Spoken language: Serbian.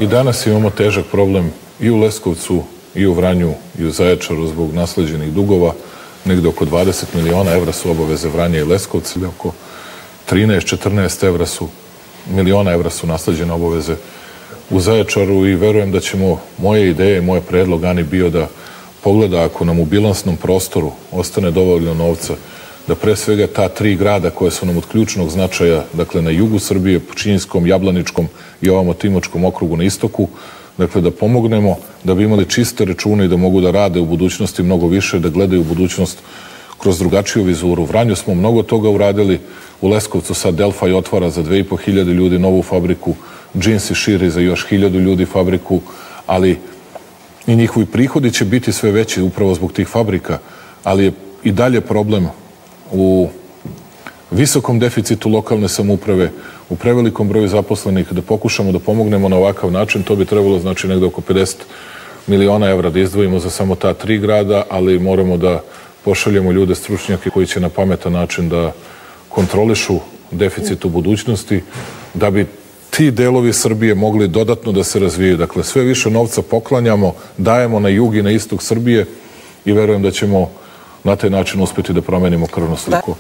I danas imamo težak problem i u Leskovcu, i u Vranju, i u Zaječaru zbog nasleđenih dugova. Negde oko 20 miliona evra su obaveze Vranja i Leskovca, ili oko 13-14 miliona evra su nasleđene obaveze u Zaječaru i verujem da ćemo, moje ideje, moj predlog Ani bio da pogleda ako nam u bilansnom prostoru ostane dovoljno novca, da pre svega ta 3 grada koje su nam od ključnog značaja, dakle na jugu Srbije, Pčinjskom, Jablaničkom i ovamo Timočkom okrugu na istoku, dakle da pomognemo da bi imali čiste račune i da mogu da rade u budućnosti mnogo više, da gledaju u budućnost kroz drugačiju vizuru. U Vranju smo mnogo toga uradili, u Leskovcu sad Delfaj otvara za 2.500 ljudi novu fabriku, Džinsi širi za još 1000 ljudi fabriku, ali i njihovi prihodi će biti sve veći upravo zbog tih fabrika, ali je i dalje problem u visokom deficitu lokalne samouprave, u prevelikom broju zaposlenih, da pokušamo da pomognemo na ovakav način. To bi trebalo znači negde oko 50 miliona evra da izdvojimo za samo ta 3 grada, ali moramo da pošaljemo ljude, stručnjake koji će na pametan način da kontrolišu deficit u budućnosti, da bi ti delovi Srbije mogli dodatno da se razvijaju. Dakle, sve više novca poklanjamo, dajemo na jug i na istok Srbije i verujem da ćemo na taj način uspeti da promenimo krvnu sliku.